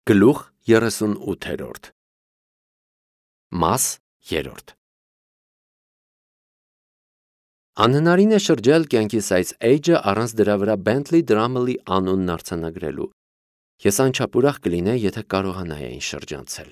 Գլուխ 38 Մաս 3 Անհնարին է շրջել կյանքիս այս էջը առանց դրա վրա Bentley Drummle-ի անունն արձանագրելու։ Ես անչափ ուրախ կլինեի, եթե կարողանայի այն շրջանցել։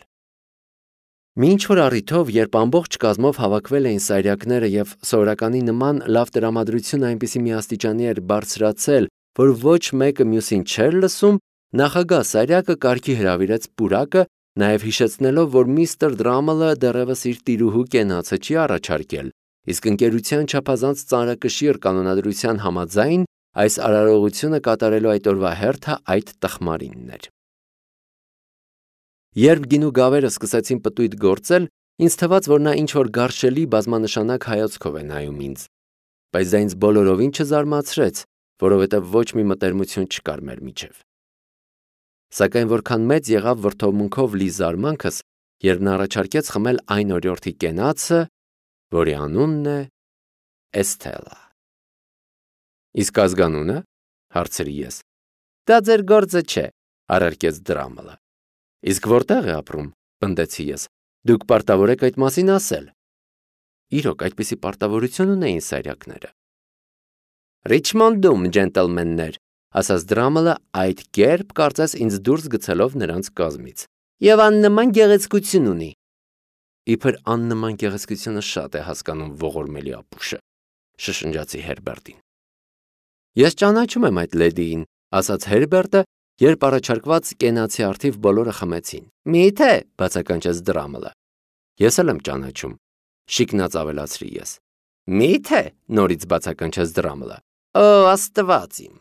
Մի ինչ-որ առիթով, երբ ամբողջ կազմով հավաքվել էին սայրակները և սովորականի նման լավ տրամադրությունը այնպիսի մի աստիճանի էր բարձրացել, որ ոչ մեկը մյուսին չէր լսում, նախագահ սայրակը կարգի հրավիրեց պուրակը, նաև հիշեցնելով, որ միստր Drummle-ը դեռևս իր տիրուհու կենացը չի առաջարկել, իսկ ընկերության չափազանց ծանրակշիռ կանոնադրության համաձայն այս արարողությունը կատարելու այդ օրվա հերթը այդ տխմարինն էր։ Երբ գինու գավերը սկսեցին պտույտ գործել, ինձ թվաց, որ նա ինչ-որ գարշելի բազմանշանակ հայացքով է նայում ինձ, բայց դա ինձ բոլորովին չզարմացրեց, որովհետև ոչ մի մտերմություն չկար մեր միջև։ Սակայն որքան մեծ եղավ վրդովմունքով լի զարմանքս, երբ նա առաջարկեց խմել այն օրիորդի կենացը, որի անունն է Էսթելա։ Իսկ ազգանունը, հարցրի ես։ Դա ձեր գործը չէ, առարկեց Drummle-ը։ Իսկ որտեղ է ապրում, պնդեցի ես, դուք պարտավոր եք այդ մասին ասել։ Իրոք, այդպիսի պարտավորություն ունեին սայրակները։ Ռիչմոնդում, ջենտլմեններ, ասաց Drummle-ը այդ կերպ կարծես ինձ դուրս գցելով նրանց կազմից։ Եվ աննման գեղեցկություն ունի։ Իբր աննման գեղեցկությունը շատ է հասկանում ողորմելի ապուշը, շշնջացի Հերբերտին։ Ես ճանաչում եմ այդ լեդիին, ասաց Հերբերտը, երբ առաջարկված կենացի արդիվ բոլորը խմեցին։ Մի՞թե, բացականչեց Drummle-ը։ Ես էլ եմ ճանաչում, շիկնած ավելացրի ես։ Մի՞թե, նորից բացականչեց Drummle-ը։ Օ, Աստված իմ։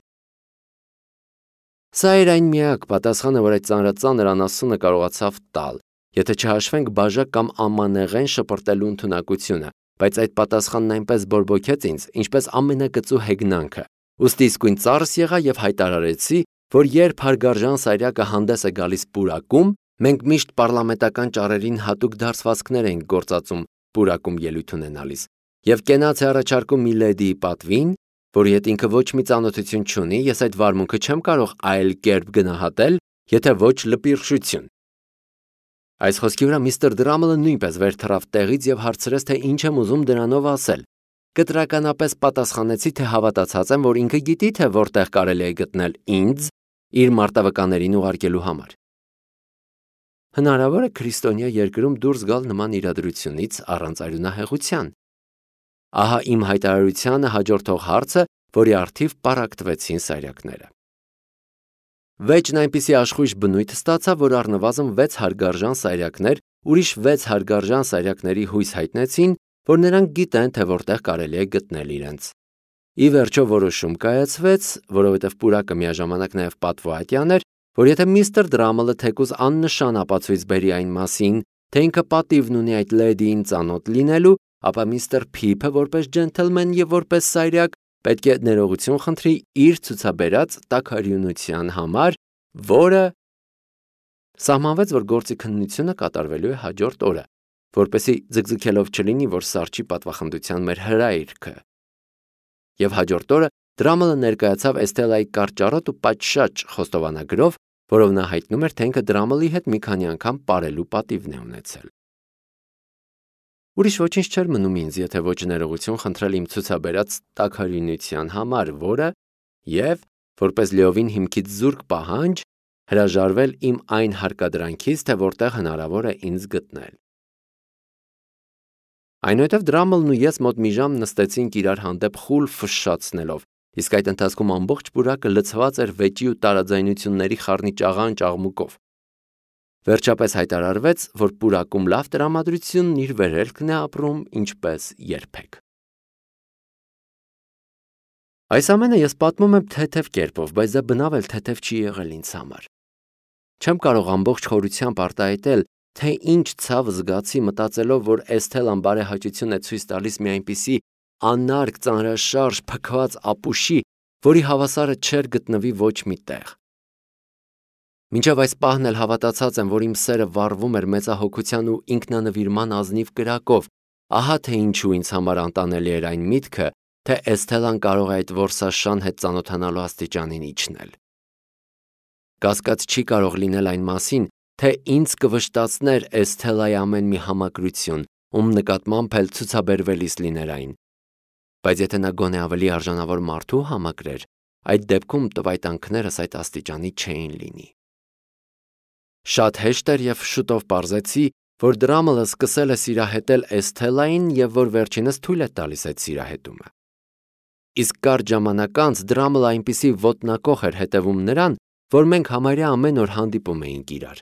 Սա էր այն միակ պատասխանը, որ այդ ծանրածանր անասունը կարողացավ տալ, եթե չհաշվենք բաժակ կամ ամանեղեն շպրտելու ընդունակությունը, բայց այդ պատասխանն այնպես բորբոքեց ինձ, ինչպես ամենակծու հեգնանքը։ Ուստի իսկույն ծարս եղա և հայտարարեցի, որ երբ հարգարժան սայրակը հանդես է գալիս պուրակում, մենք միշտ պառլամենտական ճառերին հատուկ դարձվածքներ ենք գործածում պուրակում ելույթ ունենալիս, և կենաց է առաջարկում մի լեդիի պատվին, որի հետ ինքը ոչ մի ծանոթություն չունի, ես այդ վարմունքը չեմ կարող այլ կերպ գնահատել, եթե ոչ լպիրշություն։ Այս խոսքի վրա միստր Drummle-ը նույնպես վեր թռավ տեղից և հարցրեց, թե ինչ եմ ուզում դրանով ասել։ Կտրականապես պատասխանեցի, թե հավատացած եմ, որ ինքը գիտի, թե որտեղ կարելի է գտնել ինձ իր մարտավկաներին ուղարկելու համար։ Հնարավոր է քրիստոնյա երկրում դուրս գալ նման իրադրությունից առանց արյունահեղության։ Ահա իմ հայտարարությանը հաջորդող հարցը, որի առթիվ պառակտվեցին սայրակները։ Վեճն այնպիսի աշխույժ բնույթ ստացավ, որ առնվազն 6 հարգարժան սայրակներ ուրիշ 6 հարգարժան սայրակների հույս հայտնեցին, որ նրանք գիտեն, թե որտեղ կարելի է գտնել իրենց։ Ի վերջո որոշում կայացվեց, որովհետև պուրակը միաժամանակ նաև պատվոհատյան էր, որ եթե միստր Drummle-ը թեկուզ աննշան ապացույց բերի այն մասին, թե ինքը պատիվն ունի այդ լեդիին ծանոթ լինելու, ապա միստր Փիփը որպես ջենթլմեն և որպես սայրակ պետք է ներողություն խնդրի իր ցուցաբերած տաքարյունության համար, որը սահմանվեց, որ գործի քննությունը կատարվելու է հաջորդ օրը, որպեսզի ձգձգելով չլինի, որ սառչի պատվախնդության մեր հրայրքը։ Եվ հաջորդ օրը Drummle-ը ներկայացավ Էսթելայի կարճառոտ ու պատշաճ խոստովանագրով, որով նա հայտնում էր, թե ինքը Drummle-ի հետ մի քանի անգամ պարելու պատիվն է ունեցել։ Ուրիշ ոչինչ չէր մնում ինձ, եթե ոչ ներողություն խնդրել իմ ցուցաբերած տաքարյունության համար, որը և, որպես լիովին հիմքից զուրկ պահանջ, հրաժարվել իմ այն հարկադրանքից, թե որտեղ հնարավոր է ինձ գտնել։ Այնուհետև Drummle-ն ու ես մոտ մի ժամ նստեցինք իրար հանդեպ խուլ ֆշշացնելով, իսկ այդ ընթացքում ամբողջ պուրակը լցված էր վեճի ու տարաձայնությունների խառնիճաղան աղմուկով։ Վերջապես հայտարարվեց, որ պուրակում լավ տրամադրությունն իր վերելքն է ապրում ինչպես երբեք։ Այս ամենը ես պատմում եմ թեթև կերպով, բայց դա բնավ էլ թեթև չի եղել ինձ համար։ Չեմ կարող ամբողջ խորությամբ արտահայտել, թե ինչ ցավ զգացի մտածելով, որ Էսթելան բարեհաճություն է ցույց տալիս մի այնպիսի անարգ ծանրաշարժ փքված ապուշի, որի հավասարը չէր գտնվի ոչ մի տեղ։ Մինչև այս պահն էլ հավատացած եմ, որ իմ սերը վառվում էր մեծահոգության ու ինքնանվիրման ազնիվ կրակով, ահա թե ինչու ինձ համար անտանելի էր այն միտքը, թե Էսթելան կարող է այդ որսաշան հետ ծանոթանալու աստիճանին իջնել։ Կասկած չի կարող լինել այն մասին, թե ինձ կվշտացներ Էսթելայի ամեն մի համակրություն, ում նկատմամբ էլ ցուցաբերվելիս լիներ այն։ Բայց եթե նա գոնե ավելի արժանավոր մարդու համակրեր, այդ դեպքում տվայտանքներս այդ աստիճանի չէին լինի։ Շատ հեշտ էր և շուտով պարզեցի, որ Դրամլը սկսել է սիրահետել Էսթելային և որ վերջինս թույլ է տալիս այդ սիրահետումը։ Իսկ կարճ ժամանակ անց Դրամլը այնպիսի ոտնակոխ էր հետևում նրան, որ մենք համարյա ամեն օր հանդիպում էինք իրար։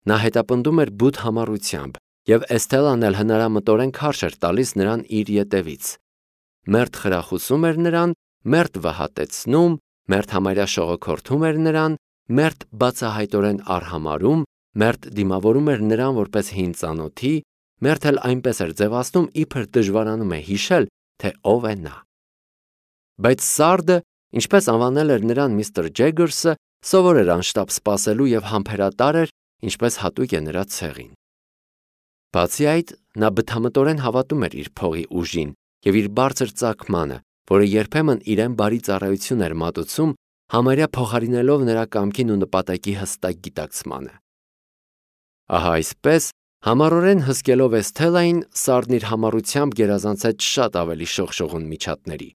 Նա հետապնդում էր բութ համառությամբ, և Էսթելան էլ հնարամտորեն քարշ էր տալիս նրան իր ետևից։ Մերթ խրախուսում էր նրան, մերթ վհատեցնում, մերթ համարյա շողոքորթում էր նրան, մերթ բացահայտորեն արհամարհում, մերթ դիմավորում էր նրան որպես հին ծանոթի, մերթ էլ այնպես էր ձևացնում, իբր դժվարանում է հիշել, թե ով է նա։ Բայց Սարդը, ինչպես անվանել էր նրան միստր Ջեգերսը, սովոր էր անշտապ սպասելու և համբերատար էր, ինչպես հատուկ է նրա ցեղին։ Բացի այդ, նա բթամտորեն հավատում էր իր փողի ուժին և իր բարձր ծագմանը, որը երբեմն իրեն բարի ծառայություն էր մատուցում, համարյա փոխարինելով նրա կամքին ու նպատակի հստակ գիտակցմանը։ Ահա այսպես, համառորեն հսկելով Էսթելային, Սարդն իր համառությամբ գերազանցեց շատ ավելի շողշողուն միջատների։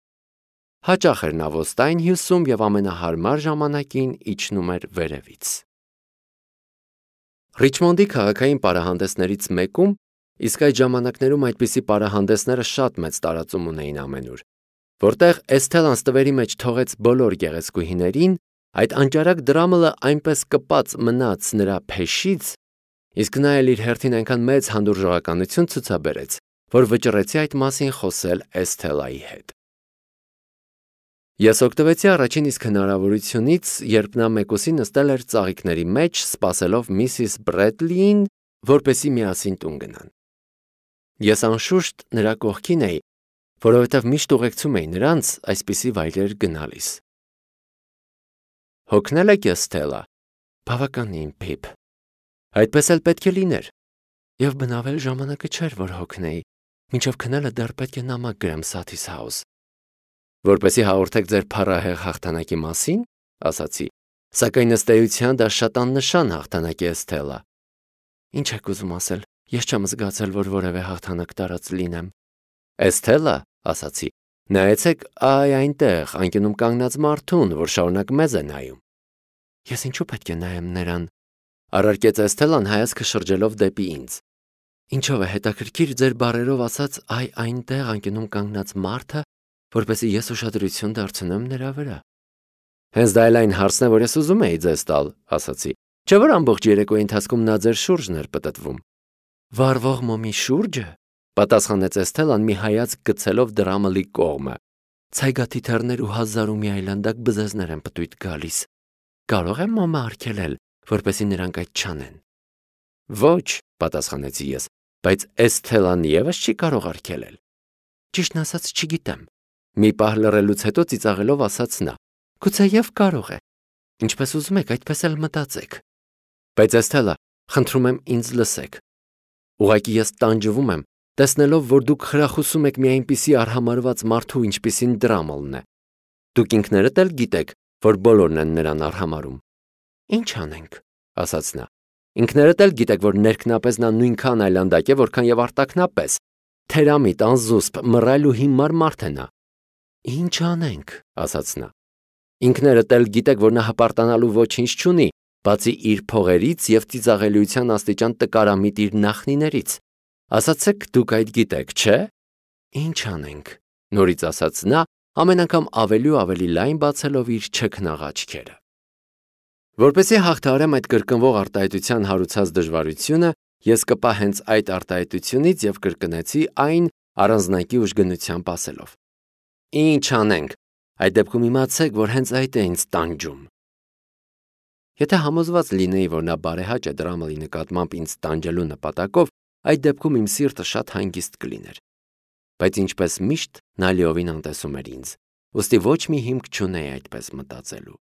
Հաճախ էր նա ոստային հյուսում և ամենահարմար ժամանակին իջնում էր վերևից։ Ռիչմոնդի քաղաքային պարահանդեսներից մեկում, իսկ այդ ժամանակներում այդպիսի պարահանդեսները շատ մեծ տարածում ունեին ամենուր, որտեղ Էսթելան ստվերի մեջ թողեց բոլոր գեղեցկուհիներին, այդ անճարակ Դրամլը այնպես կպած մնաց նրա փեշից, իսկ նա էլ իր հերթին այնքան մեծ հանդուրժողականություն ցուցաբերեց, որ վճռեցի այդ մասին խոսել Էսթելայի հետ։ Ես օգտվեցի առաջին իսկ հնարավորությունից, երբ նա մեկուսի նստել էր ծաղիկների մեջ, սպասելով միսիս Բրեդլիին, որպեսզի միասին տուն գնան։ Ես անշուշտ նրա կողքին էի, որովհետև միշտ ուղեկցում էի նրանց այսպիսի վայրեր գնալիս։ Հոգնել եք Էսթելա։ Բավականին, Փիփ։ Այդպես էլ պետք է լիներ։ Եվ բնավել ժամանակը չէր, որ հոգնեի, մինչև քնելը դեռ պետք է նամակ գրեմ Սաթիս Հաուս։ Որպեսզի հաղորդեք ձեր փառահեղ հաղթանակի մասին, ասացի, սակայն ըստ էության դա շատ աննշան հաղթանակ է, Էսթելա։ Ինչ եք ուզում ասել, ես չեմ զգացել, որ որևէ հաղթանակ տարած լինեմ։ Էսթելա, ասացի, նայեցեք այ այնտեղ, անկյունում կանգնած մարդուն, որ շարունակ մեզ է նայում։ Ես ինչու պետք է նայեմ նրան, առարկեց Էսթելան հայացքը շրջելով դեպի ինձ։ Ինչով է հետաքրքիր ձեր բառերով ասած այ այնտեղ անկյունում կանգնած մարդը, որպեսզի ես ուշադրություն դարձնեմ նրա վրա։ Հենց դա էլ այն հարցն է, որ ես ուզում էի ձեզ տալ, ասացի։ Չէ՞ որ ամբողջ երեկոյի ընթացքում նա ձեր շուրջն էր պտտվում։ Վառվող մոմի շուրջը, պատասխանեց Էսթելան մի հայացք գցելով Դրամլի կողմը։ Ցայգաթիթեռներ ու հազար ու մի այլանդակ բզեզներ են պտույտ գալիս։ Կարող եմ մոմը արգելել, որպեսզի նրանք այդ չանեն։ Ոչ, պատասխանեցի ես, բայց Էսթելան ևս չի կարող արգելել։ Ճիշտն ասած, չգիտեմ։ Մի պահ լռելուց հետո ծիծաղելով ասաց նա. Գուցեև կարող է։ Ինչպես ուզում եք, այդպես էլ մտածեք։ Բայց Էսթելա, խնդրում եմ ինձ լսեք։ Ուղղակի ես տանջվում եմ, տեսնելով, որ դուք խրախուսում եք մի այնպիսի արհամարհված մարդու, ինչպիսին Դրամլն է։ Դուք ինքներդ էլ գիտեք, որ բոլորն են նրան արհամարհում։ Ինչ անենք, ասաց նա։ Ինքներդ էլ գիտեք, որ ներքնապես նա նույնքան այլանդակ է, որքան եւ արտաքնապես։ Թերամիտ, անզուսպ, մռայլ ու հիմար մարդ է նա։ Ինչ անենք, ասաց նա։ Ինքներդ էլ գիտեք, որ նա հպարտանալու ոչինչ չունի, բացի իր փողերից եւ ծիծաղելիության աստիճան տկարամիտ իր նախնիներից։ Ասացեք դուք այդ գիտեք, չէ՞։ Ինչ անենք, նորից ասաց նա, ամեն անգամ ավելի ու ավելի լայն բացելով իր չքնաղ աչքերը։ Որպեսզի հաղթահարեմ այդ կրկնվող արտահայտության հարուցած դժվարությունը, ես կպա հենց այդ արտահայտությունից եւ կրկնեցի այն առանձնակի ուժգնությամբ ասելով. Ինչ անենք, այդ դեպքում իմացեք, որ հենց այդ է ինձ տանջում։ Եթե համոզված լինեի, որ նա բարեհաճ է Դրամլի նկատմամբ ինձ տանջելու նպատակով, այդ դեպքում իմ սիրտը շատ հանգիստ կլիներ։ Բայց ինչպես միշտ նա լիովին անտեսում էր ինձ, ուստի ոչ մի հիմք չունեի այդպես մտածելու։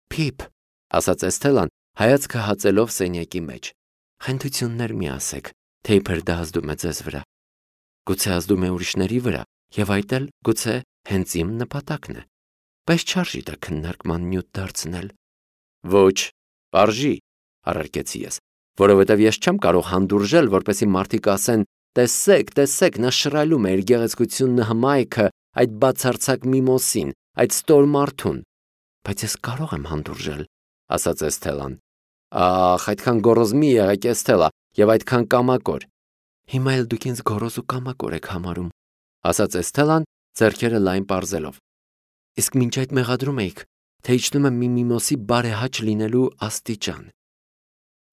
Փիփ, ասաց Էսթելան, հայացքը հացելով սենյակի մեջ։ Խնդություններ մի ասեք, թե իբր դա ազդում է ձեզ վրա։ Գուցե ազդում է ուրիշների վրա, եւ այդ էլ գուցե հենց իմ նպատակն է։ Բայց չարժի դա քննարկման նյութ դարձնել։ Ոչ, պարժի, առարկեցի ես, որովհետև ես չեմ կարող հանդուրժել, որպեսզի մարդիկ ասեն. տեսեք, տեսեք, նա շռայլում է իր գեղեցկությունն հմայքը այդ բացարձակ միմոսին, այդ ստոր մարդուն։ Բայց ես կարող եմ հանդուրժել, ասաց Էսթելան։ Ախ, այդքան գոռոզ մի եղեք, Էսթելա, եւ այդքան կամակոր։ Հիմա էլ դուք ինձ գոռոզ ու կամակոր եք համարում, ասաց Էսթելան, ձեռքերը լայն պարզելով։ Իսկ մինչ այդ մեղադրում էիք, թե իջնում եմ մի միմոսի բարեհաճ լինելու աստիճան։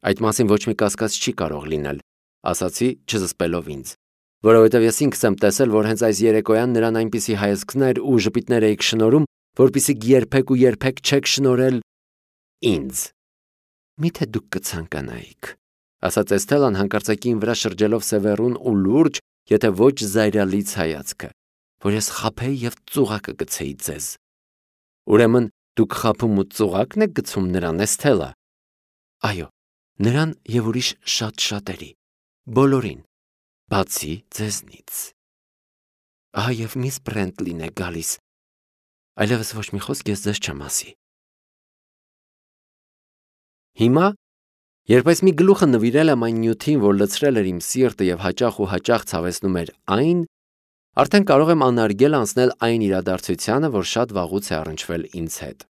Այդ մասին ոչ մի կասկած չի կարող լինել, ասացի, չզսպելով ինձ, որովհետև ես ինքս եմ տեսել, որ հենց այս երեկոյան նրան այնպիսի հայացքներ ու ժպիտներ էիք շնորհում, որպեսզի երբեք ու երբեք չեք շնորհել ինձ։ Միթե դուք կցանկանայիք, ասաց Էսթելան հանկարծակի վրա շրջելով սևեռուն ու լուրջ, եթե ոչ զայրալից հայացքը, որ ես խաբեի եւ ծուղակը գցեի ձեզ։ Ուրեմն դուք խաբում ու ծուղակն եք գցում նրան, Էսթելա։ Այո, նրան եւ ուրիշ շատ-շատերի, բոլորին, բացի ձեզնից։ Ահա եւ միս Բրենտլին է գալիս։ Այլևս ոչ մի խոսք ես ձեզ չեմ ասի։ Հիմա, երբ այս մի գլուխը նվիրել եմ այն նյութին, որ լցրել էր իմ սիրտը եւ հաճախ ցավեցնում էր այն, արդեն կարող եմ անարգել անցնել այն իրադարձությանը, որ շատ վաղուց է առնչվել ինձ հետ։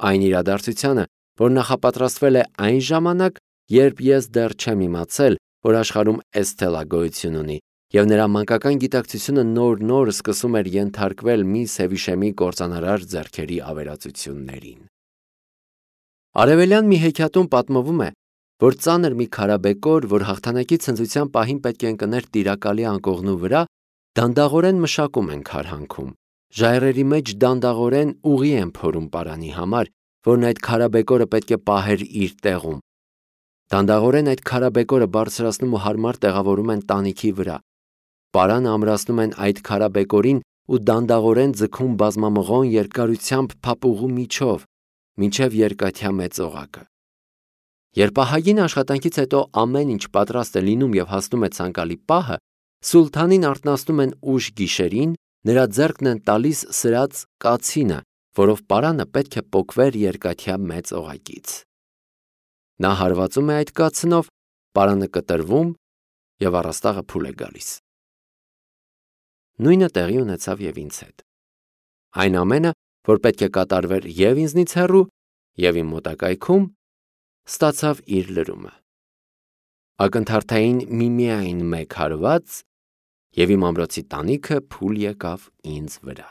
Այն իրադարձությանը, որ նախապատրաստվել է այն ժամանակ, երբ ես դեռ չեմ իմացել, որ աշխարհում Էսթելա գոյություն ունի, եւ նրա մանկական գիտակցությունը նոր սկսում էր ենթարկվել մի Սևիշեմի կործանարար ձեռքերի ավերածություններին։ Արևելյան մի հեքիաթում պատմվում է, որ ծանր մի քարաբեկոր, որ հաղթանակի ցնծության պահին պետք է ընկներ տիրակալի անկողնու վրա, դանդաղորեն մշակում են քարհանքում, ժայռերի մեջ դանդաղորեն ուղի են փորում պարանի համար, որն այդ քարաբեկորը պետք է պահեր իր տեղում։ Դանդաղորեն այդ քարաբեկորը բարձրացնում ու հարմար տեղավորում են տանիքի վրա։ Պարանը ամրացնում են այդ քարաբեկորին ու դանդաղորեն ձգում բազմամղոն երկարությամբ փապուղու միջով, մինչև երկաթյա մեծ օղակը։ Երբ ահագին աշխատանքից հետո ամեն ինչ պատրաստ է լինում եւ հասնում է ցանկալի պահը, սուլթանին արթնացնում են ուշ գիշերին, նրա ձեռքն են տալիս սրած կացինը, որով պարանը պետք է պոկվեր երկաթյա մեծ օղակից։ Նա հարվածում է այդ կացնով, պարանը կտրվում եւ առաստաղը փուլ է գալիս։ Նույնը տեղի ունեցավ եւ ինձ հետ։ Այն ամենը, որ պետք է կատարվեր եւ ինձնից հեռու, եւ իմ մոտակայքում, ստացավ իր լրումը։ Ակնթարթային միայն մեկ հարված, եւ իմ ամրոցի տանիքը փուլ եկավ ինձ վրա։